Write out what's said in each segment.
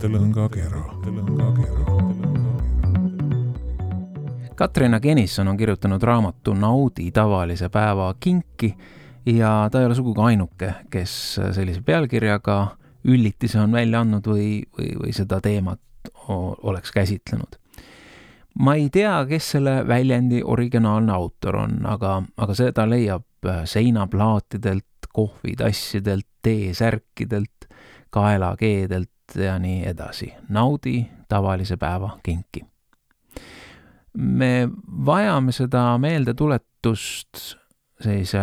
mõttelõngakera. Katrina Kenison on kirjutanud raamatu Naudi tavalise päeva kinki ja ta ei ole sugugi ainuke, kes sellise pealkirjaga üllitise on välja andnud või seda teemat oleks käsitlenud. Ma ei tea, kes selle väljendi originaalne autor on, aga seda leiab seinaplaatidelt, kohvitassidelt, teesärkidelt, kaelakeedelt ja nii edasi. Naudi tavalise päeva kinki. Me vajame seda meeldetuletust sellise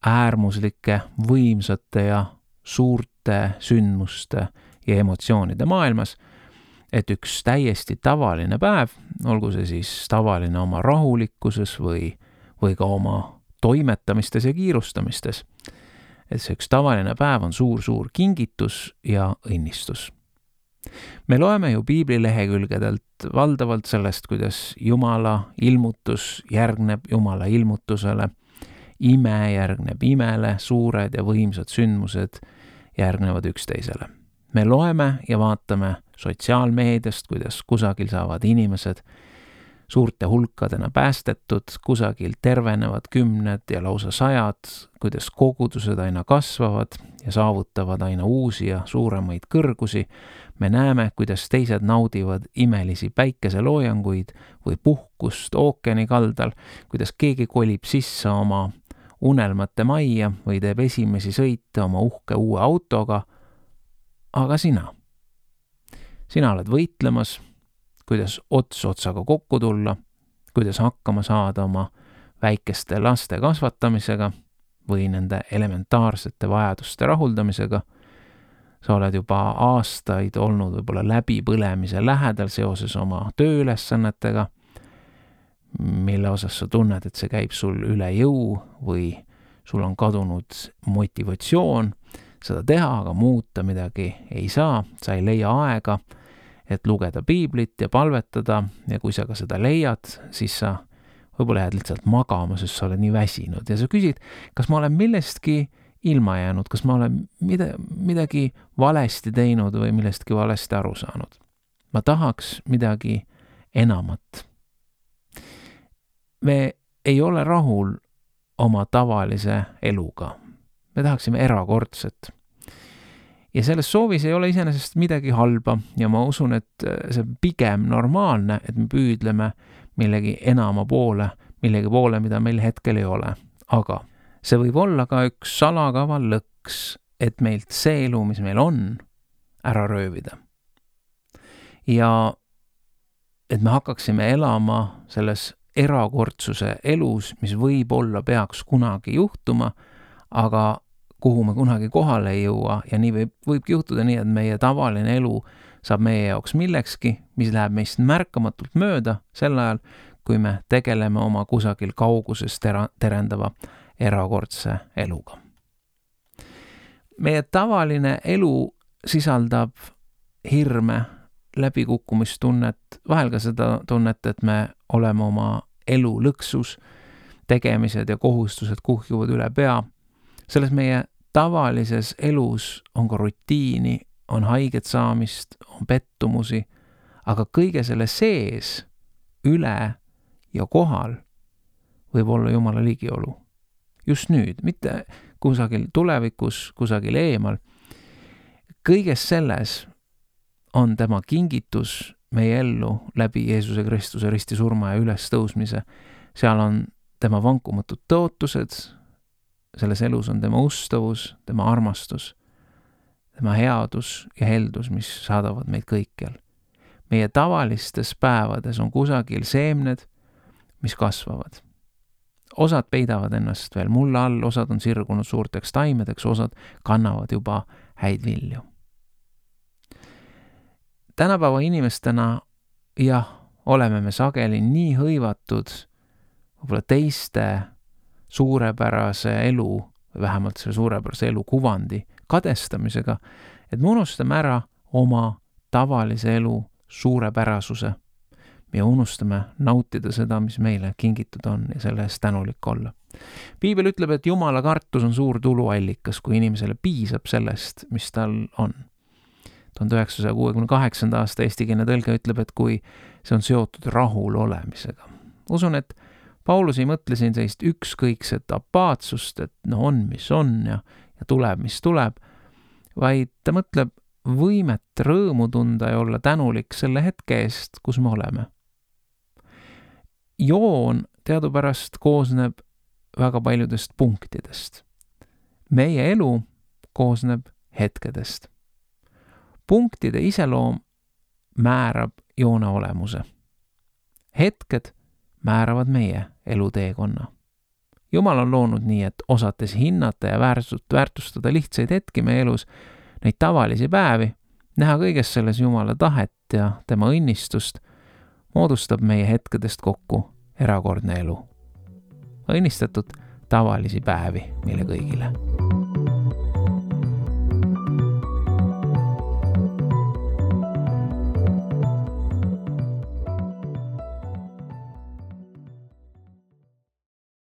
äärmuslike, võimsate ja suurte sündmuste ja emotsioonide maailmas, et üks täiesti tavaline päev, olgu see siis tavaline oma rahulikkuses või ka oma toimetamistes ja kiirustamistes, et see üks tavaline päev on suur kingitus ja õnnistus. Me loeme ju Piibli lehekülgedelt valdavalt sellest, kuidas Jumala ilmutus järgneb Jumala ilmutusele, ime järgneb imele, suured ja võimsad sündmused järgnevad üksteisele. Me loeme ja vaatame sotsiaalmeediast, kuidas kusagil saavad inimesed suurte hulkadena päästetud, kusagil tervenevad 10 ja lausa 100, kuidas kogudused aina kasvavad ja saavutavad aina uusi ja suuremaid kõrgusi. Me näeme, kuidas teised naudivad imelisi päikeseloojanguid või puhkust ookeani kaldal, kuidas keegi kolib sisse oma unelmate majja või teeb esimesi sõite oma uhke uue autoga. Aga sina oled võitlemas, kuidas ots otsaga kokku tulla, kuidas hakkama saada oma väikeste laste kasvatamisega või nende elementaarsete vajaduste rahuldamisega. Sa oled juba aastaid olnud võib-olla läbipõlemise lähedal seoses oma tööülesannetega, mille osas sa tunned, et see käib sul üle jõu või sul on kadunud motivatsioon seda teha, aga muuta midagi ei saa, sa ei leia aega, et lugeda piiblit ja palvetada ja kui sa ka seda leiad, siis sa võib-olla jääd lihtsalt magama, sest sa oled nii väsinud ja sa küsid, kas ma olen millestki ilma jäänud, kas ma olen midagi valesti teinud või millestki valesti aru saanud. Ma tahaks midagi enamat. Me ei ole rahul oma tavalise eluga. Me tahaksime erakordset. Ja selles soovis ei ole iseenesest midagi halba ja ma usun, et see on pigem normaalne, et me püüdleme millegi enama poole, millegi poole, mida meil hetkel ei ole. Aga see võib olla ka üks salakaval lõks, et meilt see elu, mis meil on, ära röövida. Ja et me hakkaksime elama selles erakordsuse elus, mis võib-olla peaks kunagi juhtuma, aga kuhu me kunagi kohale ei jõua ja nii võibki juhtuda nii, et meie tavaline elu saab meie jaoks millekski, mis läheb meist märkamatult mööda sel ajal, kui me tegeleme oma kusagil kauguses terendava erakordse eluga. Meie tavaline elu sisaldab hirme, läbikukkumistunnet, vahel ka seda tunnet, et me oleme oma elu lõksus, tegemised ja kohustused kuhjuvad üle pea. Selles meie tavalises elus on ka rutiini, on haiget saamist, on pettumusi, aga kõige selle sees, üle ja kohal võib olla Jumala ligiolu. Just nüüd, mitte kusagil tulevikus, kusagil eemal. Kõiges selles on tema kingitus meie ellu läbi Jeesuse Kristuse ristisurma ja ülestõusmise. Seal on tema vankumatud tõotused, selles elus on tema ustavus, tema armastus, tema headus ja heldus, mis saadavad meid kõikjal. Meie tavalistes päevades on kusagil seemned, mis kasvavad. Osad peidavad ennast veel mulla all, osad on sirgunud suurteks taimedeks, osad kannavad juba häid vilju. Tänapäeva inimestena, jah, oleme me sageli nii hõivatud võib-olla teiste suurepärase elu, vähemalt selle suurepärase elu kuvandi kadestamisega, et me unustame ära oma tavalise elu suurepärasuse. Me unustame nautida seda, mis meile kingitud on ja selle eest tänulik olla. Piibel ütleb, et Jumala kartus on suur tuluallikas, kui inimesele piisab sellest, mis tal on. 1968. aasta eestikeelne tõlge ütleb, et kui see on seotud rahul olemisega. Usun, et Paulus ei mõtle siin sellist ükskõikset apaatsust, et on, mis on ja tuleb, mis tuleb, vaid ta mõtleb võimet rõõmu tunda ja olla tänulik selle hetke eest, kus me oleme. Joon teadupärast koosneb väga paljudest punktidest. Meie elu koosneb hetkedest. Punktide iseloom määrab joone olemuse. Hetked määravad meie eluteekonna. Jumal on loonud nii, et osates hinnata ja väärtustada lihtsaid hetki meie elus, neid tavalisi päevi, näha kõiges selles Jumala tahet ja tema õnnistust, moodustab meie hetkedest kokku erakordne elu. Õnnistatud tavalisi päevi meile kõigile.